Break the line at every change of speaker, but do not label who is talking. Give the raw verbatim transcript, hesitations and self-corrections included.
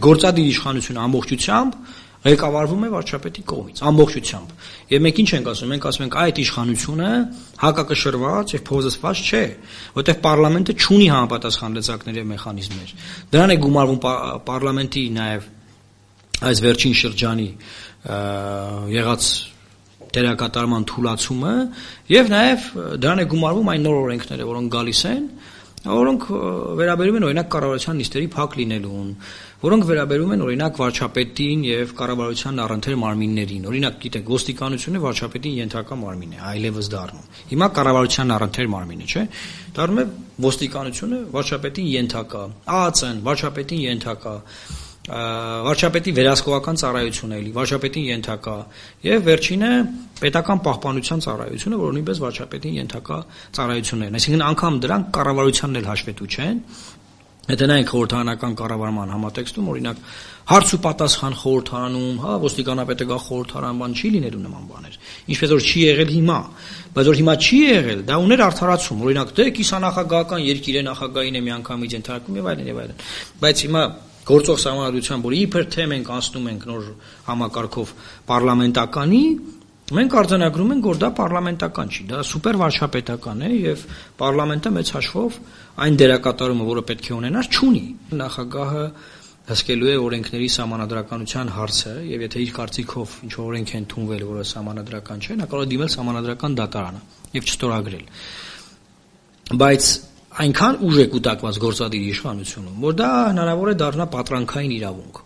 գործադիր իշխանությունը ամբողջությամբ ղեկավարվում է վարչապետի կողմից, ամբողջությամբ։ Եվ մենք ինչ ենք ասում, մենք ասում ենք այդ իշխանությունը հակակշռված եւ փոզեցված չէ, որտեղ պարլամենտը չունի համապատասխան լծակներ եւ մեխանիզմներ։ Դրան է գումարվում պարլամենտի նաեւ այս վերջին շրջանի եղած դերակատարման թուլացումը եւ նաեւ դրան է գումարվում այն նոր օրենքները, որոնք գալիս են, որոնք վերաբերում են օրինակ կառավարության նիստերի փակ լինելուն, որոնք վերաբերում են օրինակ վարչապետին եւ կառավարության առընթեր մարմիններին։ Օրինակ, գիտեք, ոստիկանությունը վարչապետին ենթակա մարմին է, այլևս դառնում։ Հիմա կառավարության առընթեր մարմին է, չէ՞։ Դառնում է ոստիկանությունը վարչապետին ենթակա, ԱԱԾ-ն վարչապետին ենթակա, վարչապետի վերահսկողական ծառայությունը էլի վարչապետին ենթակա եւ վերջինը պետական պահպանության ծառայությունը, որը նույնպես վարչապետին ենթակա ծառայություններն, այսինքն անգամ դրանք կառավարությանն էլ հաշվետու չեն։ Եթե նայենք խորհրդարանական կառավարման համատեքստում, օրինակ հարց ու պատասխան խորհրդարանում, հա, ոստիկանապետը գա խորհրդարան, բան չի լինելու նման բաներ։ Ինչպես որ չի եղել հիմա, բայց որ հիմա չի եղել, դա ուներ արդարացում։ Օրինակ, դե կիսանախագահական երկիր է, նախագահին է միանգամից ենթարկում եւ այլն եւ այլն։ Բայց հիմա գործող սահմանադրությամբ, որ իբր թե մենք անցնում ենք նոր համակարգով պարլամենտականի, մենք արձանագրում ենք, որ դա պարլամենտական չի, դա սուպեր վարչապետական է եւ պարլամենտը մեծ հաշվով այն դերակատարումը, որը պետք է ունենար, չունի։ Նախագահը հսկելու է օրենքների սահմանադրականության հարցը եւ եթե իր կարծիքով ինչ օրենք են ընդունվել, որը սահմանադրական չէ, նա կարող է դիմել սահմանադրական դատարանը եւ չստորագրել։ Բայց այնքան ուժ է կուտակված գործադիր իշխանությունում, որ դա հնարավոր է դառնա պատրանքային իրավունք։